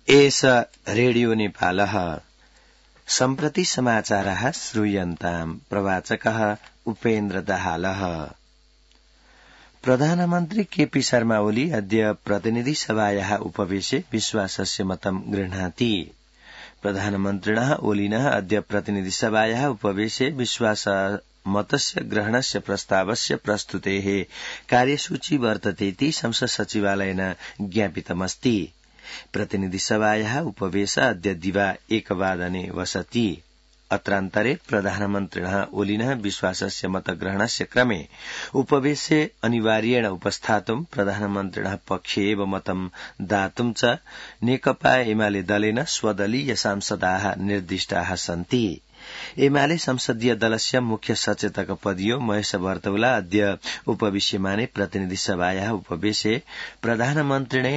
एष रेडियो नेपालः सम्प्रति समाचारः श्रूयन्ताम् प्रवाचकः उपेन्द्र दाहालः। प्रधानमन्त्री केपी शर्मा ओली अद्य प्रतिनिधि सभायाः उपवेशे विश्वासस्य मतं गृह्णाति। प्रधानमन्त्रिणः ओलिनः अद्य प्रतिनिधि सभायाः उपवेशे विश्वास मतस्य ग्रहणस्य प्रस्तावस्य प्रस्तुतेः कार्यसूची वर्ततेति संसद सचिवालयेन ज्ञापितमस्ति। प्रतिनिधि सभायाः उपवेश अद्य दिवा 1:00 वसति। अत्रान्तरे प्रधानमन्त्रिणः ओलिनः विश्वासस्य मतग्रहणस्य क्रमे उपवेशे अनिवार्येण उपस्थातुं प्रधानमन्त्रिणः पक्षे एव मतं दातुं च नेकपा एमाले दलेन स्वदलीय सांसदाः निर्दिष्टाः सन्ति। एमाले संसदीय दलस्य मुख्य सचेतक पदियो महेश बर्तौला अद्य उपविश्यमाने प्रतिनिधि सभायाः उपवेशे प्रधानमन्त्रिणे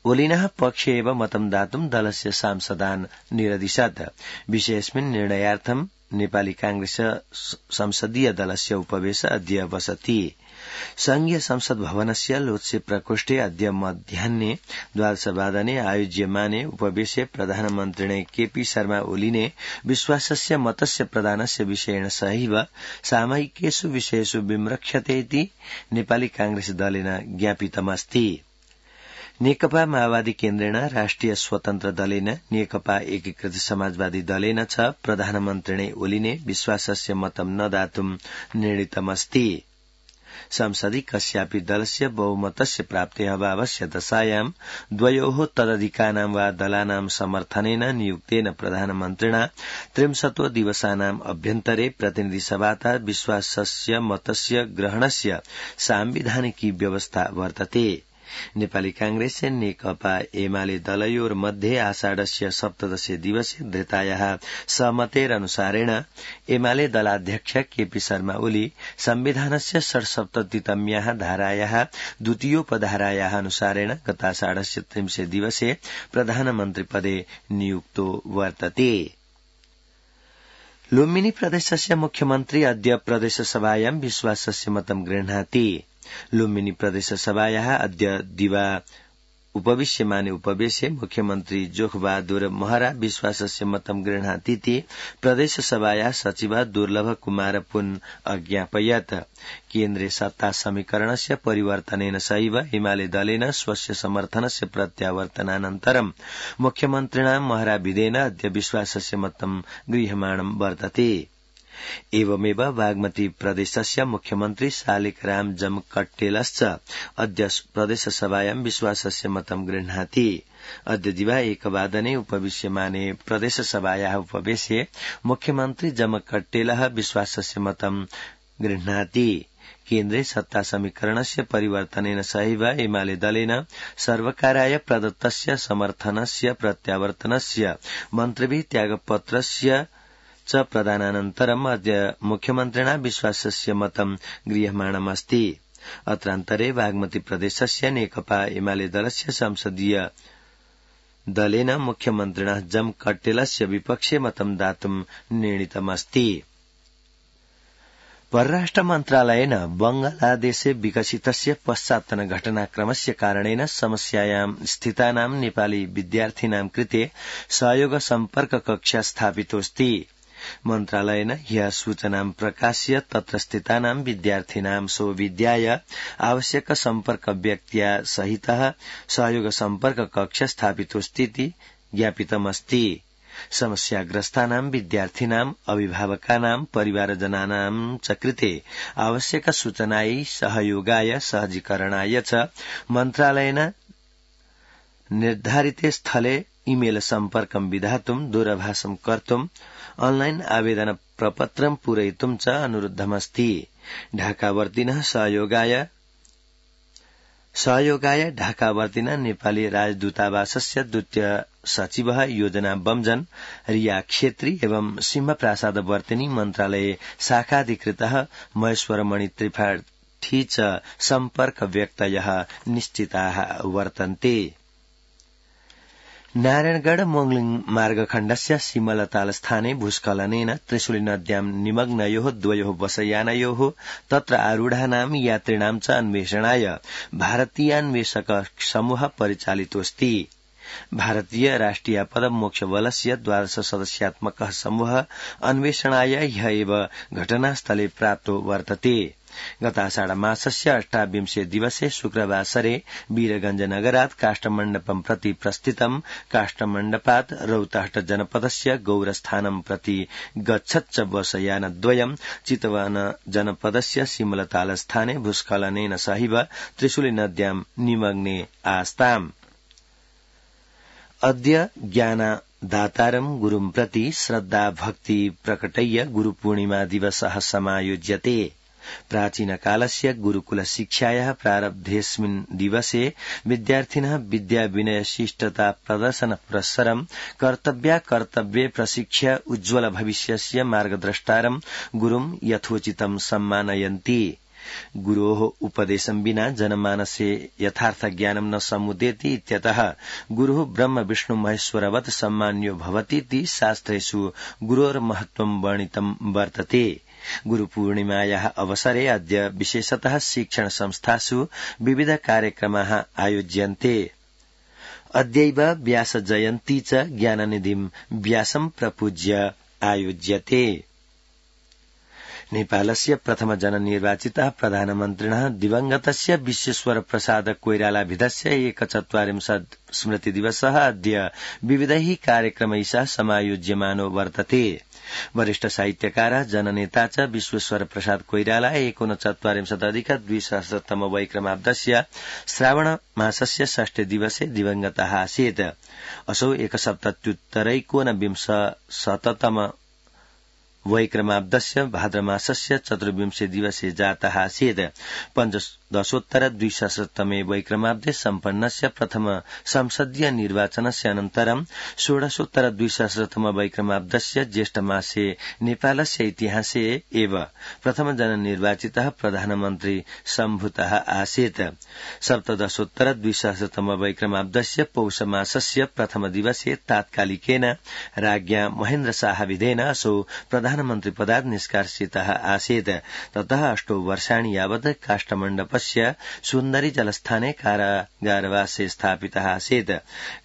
ओलिनः पक्षे एव मतं दातुं दलस्य सांसदान् निरदिशत्। विषयेऽस्मिन् निर्णयार्थं नेपाली कांग्रेस संसदीय दलस्य उपवेश अद्य वसति। संघीय संसद भवनस्य लोत्से प्रकोष्ठे अद्य मध्याह्ने 12:00 आयोज्यमाने उपवेशे प्रधानमन्त्रिणे केपी शर्मा ओलीने विश्वासस्य मतस्य प्रदानस्य विषयेण सहैव सामयिकेषु विषयेषु विमृक्षते इति नेपाली कांग्रेस दलेन ज्ञापितमस्ति। नेकपा माओवादी केन्द्रेण राष्ट्रिय स्वतन्त्र दलेन नेकपा एकीकृत समाजवादी दलेन च प्रधानमन्त्रिणे ओलीने विश्वासस्य मतं न दातुं निर्णीतमस्ति। संसदि कस्यापि दलस्य बहुमतस्य प्राप्तेः अभावस्य दशायां द्वयोः तदधिकानां वा दलानां समर्थनेन नियुक्तेन प्रधानमन्त्रिणा 30 दिवसानाम् अभ्यन्तरे प्रतिनिधि सभातः विश्वासस्य मतस्य ग्रहणस्य सांविधानिकी व्यवस्था वर्तते। नेपाली कांग्रेस नेकपा एमाले दलयोर्मध्ये आषाढस्य 17 दिवसे धृतायाः सहमतेरनुसारेण एमाले दलाध्यक्ष केपी शर्मा ओली संविधानस्य 77तम्याः धारायाः द्वितीयोपधारायाः अनुसारेण गताषाढस्य 30 दिवसे प्रधानमन्त्रिपदे नियुक्तो वर्तते। लुम्बिनी प्रदेशस्य मुख्यमन्त्री अद्य प्रदेशसभायां विश्वासस्य मतं गृह्णाति। लुम्बिनी प्रदेशसभायाः अद्य दिवा उपविश्यमाने उपवेशे मुख्यमन्त्री जोखबहादुर महरा विश्वासस्य मतं गृह्णातीति प्रदेशसभायाः सचिव दुर्लभ कुमार पुन अज्ञापयत्। केन्द्रे सत्ता समीकरणस्य परिवर्तनेन सहैव हिमालय दलेन स्वस्य समर्थनस्य प्रत्यावर्तनानन्तरं मुख्यमन्त्रिणा महरा विधेन अद्य विश्वासस्य मतं गृह्यमाणं वर्तते। एवमेव बागमती प्रदेशस्य मुख्यमन्त्री शालिग्राम जमकट्टेलश्च अद्य प्रदेशसभायां विश्वासस्य मतं गृह्णाति। अद्य दिवा 1:00 उपविश्यमाने प्रदेशसभायाः उपवेशे मुख्यमन्त्री जमकट्टेलः विश्वासस्य मतं गृह्णाति। केन्द्रे सत्ता समीकरणस्य परिवर्तनेन सहैव एमाले दलेन सर्वकाराय प्रदत्तस्य समर्थनस्य प्रत्यावर्तनस्य मन्त्रिभिः त्यागपत्रस्य च प्रदानानन्तरम् अद्य मुख्यमन्त्रिणा विश्वासस्य मतं गृह्यमाणमस्ति। अत्रान्तरे बागमती प्रदेशस्य नेकपा एमाले दलस्य संसदीय दलेन मुख्यमन्त्रिणा जमकट्टेलस्य विपक्षे मतं दातुं निर्णीतमस्ति। परराष्ट्र मन्त्रालयेन बंगलादेशे विकसितस्य पश्चात्तन घटनाक्रमस्य कारणेन समस्यायां स्थितानां नेपाली विद्यार्थिनां कृते सहयोग सम्पर्क कक्षा स्थापितोऽस्ति। मन्त्रालयेन ह्यः सूचनां प्रकाश्य तत्र स्थितानां विद्यार्थिनां सौविध्याय आवश्यक सम्पर्क व्यक्त्या सहितः सहयोग सम्पर्क कक्ष स्थापितोऽस्तीति ज्ञापितमस्ति। समस्याग्रस्तानां विद्यार्थिनां अभिभावकानां परिवारजनानां च कृते आवश्यक सूचनायै सहयोगाय सहजीकरणाय च मन्त्रालयेन निर्धारिते स्थले ईमेल सम्पर्कं विधातुं दूरभाषं कर्तुं ऑनलाइन आवेदन प्रपत्रं पूरयितुं च अनुरुद्धमस्ति। ढाकावर्तिनः सहयोगाय ढाकावर्तिनः नेपाली राजदूतावासस्य द्वितीय सचिवः योजना बमजन रिया क्षेत्री एवं सिंहप्रासादवर्तिनी मन्त्रालये शाखाधिकृतः महेश्वरमणि त्रिपाठी च सम्पर्क व्यक्तयः निश्चिताः वर्तन्ते। नारायणगढ़ मोंगलिङ मार्गखण्डस्य सिमलतालस्थाने भूस्खलनेन त्रिशूलिनद्यां निमग्नयोः द्वयोः बसयानयोः तत्र आरूढानां यात्रिणां च अन्वेषणाय भारतीयान्वेषक समूह परिचालितोऽस्ति। भारतीय राष्ट्रियापद मोक्षबलस्य 12 सदस्यात्मकः समूह अन्वेषणाय ह्य एव घटनास्थले प्राप्तो वर्तते। गताषाढमासस्य 28 दिवसे शुक्रवासरे वीरगंजनगरात् काष्ठमण्डपं प्रति प्रस्थितं काष्ठमण्डपात् रौतहट जनपदस्य गौरस्थानं प्रति गच्छच्च बसयानद्वयं चितवन जनपदस्य सिमलतालस्थाने भूस्खलनेन सहैव त्रिशूलिनद्यां निमग्ने आस्ताम्। अद्य ज्ञानदातारं गुरुं प्रति श्रद्धा भक्ति प्रकटय्य गुरुपूर्णिमा दिवसः समायोज्यते। प्राचीनकालस्य गुरुकुलशिक्षायाः प्रारब्धेऽस्मिन् दिवसे विद्यार्थिनः विद्याविनयशिष्टता प्रदर्शन पुरस्सरं कर्तव्ये प्रशिक्ष्य उज्ज्वल भविष्यस्य मार्गद्रष्टारं गुरुं यथोचितं सम्मानयन्ति। गुरोः उपदेशं विना जनमानसे यथार्थ ज्ञानं न समुदेति इत्यतः गुरुः ब्रह्म विष्णु महेश्वरवत् सम्मान्यो भवतीति शास्त्रेषु गुरोर्महत्त्वं वर्णितं वर्तते। गुरुपूर्णिमायाः अवसरे अद्य विशेषतः शिक्षण संस्थासु विविध कार्यक्रमाः आयोज्यन्ते। अद्यैव व्यास जयन्ती च ज्ञाननिधिं व्यासं प्रपूज्य आयोज्यते। नेपालस्य प्रथम जननिर्वाचितः प्रधानमन्त्रिणः दिवंगतस्य विश्वेश्वर प्रसाद कोइरालाभिधस्य 41 स्मृतिदिवसः अद्य विविधैः कार्यक्रमैः समायोज्यमानो वर्तते। वरिष्ठ साहित्यकारः जननेता च विश्वेश्वर प्रसाद कोइराला 39+200 वैक्रमाब्दस्य श्रावण मासस्य 6 दिवसे दिवंगतः आसीत्। असौ 170 वैक्रमाब्दस्य भाद्रमासस्य 14 दिवसे जातः आसीत्। 15 वैक्रमाब्दे सम्पन्नस्य प्रथम संसदीय निर्वाचनस्य अनन्तरं 16 वैक्रमाब्दस्य ज्येष्ठमासे नेपालस्य इतिहासे एव प्रथम जननिर्वाचितः प्रधानमन्त्री सम्भूतः आसीत्। 17 वैक्रमाब्दस्य पौषमासस्य प्रथम दिवसे तात्कालिकेन राज्ञा महेन्द्र शाहविधेन असौ प्रधानमन्त्री पदात् निष्कासितः आसीत्। ततः 8 वर्षाणि यावत् काष्ठमण्डपस्य सुन्दरी जलस्थाने कारागारवासे स्थापितः आसीत्।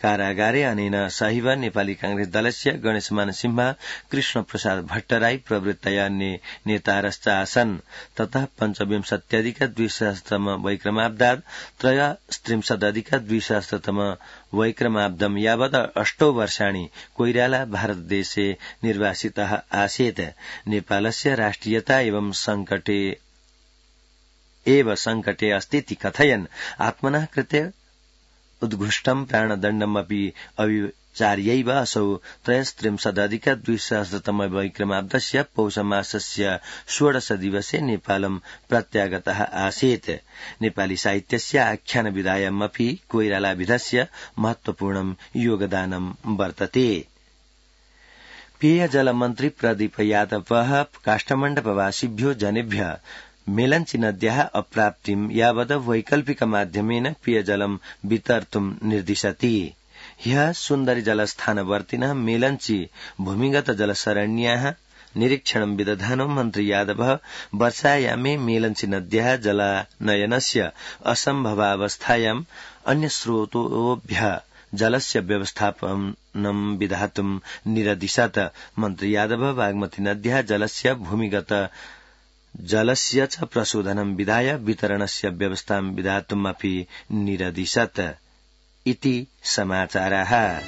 कारागारे अनेन सहैव नेपाली कांग्रेस दलस्य गणेशमान सिंह, कृष्ण प्रसाद भट्टराई प्रभृतया नेतारश्च आसन्। ततः 25+200 वैक्रमाब्दात् 33+200 वैक्रमाब्दं यावत् 8 वर्षाणि कोइराला भारतदेशे निर्वासितः आसीत्। नेपालस्य राष्ट्रियता एव संकटे अस्तीति कथयन् आत्मनः कृते उद्घुष्टं प्राणदण्डमपि अविचार्यैव असौ 33+200 वैक्रमाब्दस्य पौषमासस्य 16 दिवसे नेपालं प्रत्यागतः आसीत्। नेपाली साहित्यस्य आख्यानविधायामपि कोइरालाभिधस्य महत्वपूर्णं योगदानं वर्तते। पेयजल मन्त्री प्रदीप यादवः काष्ठमण्डपवासिभ्यो जनेभ्यः मेलंची नद्याः अप्राप्तिं यावत् वैकल्पिक माध्यमेन पेयजलं वितर्तुं निर्दिशति। ह्यः सुन्दरी जलस्थानवर्तिनः मेलंची भूमिगत जलसरण्याः निरीक्षणं विदधानो मन्त्री यादवः वर्षायामे मेलंची नद्याः जलानयनस्य असम्भवावस्थायाम् अन्यस्रोतोभ्यः जलस्य व्यवस्थापनं विधातुं निरदिशत्। मन्त्री यादव बागमती नद्याः जलस्य भूमिगत जलस्य च प्रशोधनं विधाय वितरणस्य व्यवस्थां विधातुमपि निरदिशत् इति समाचाराः।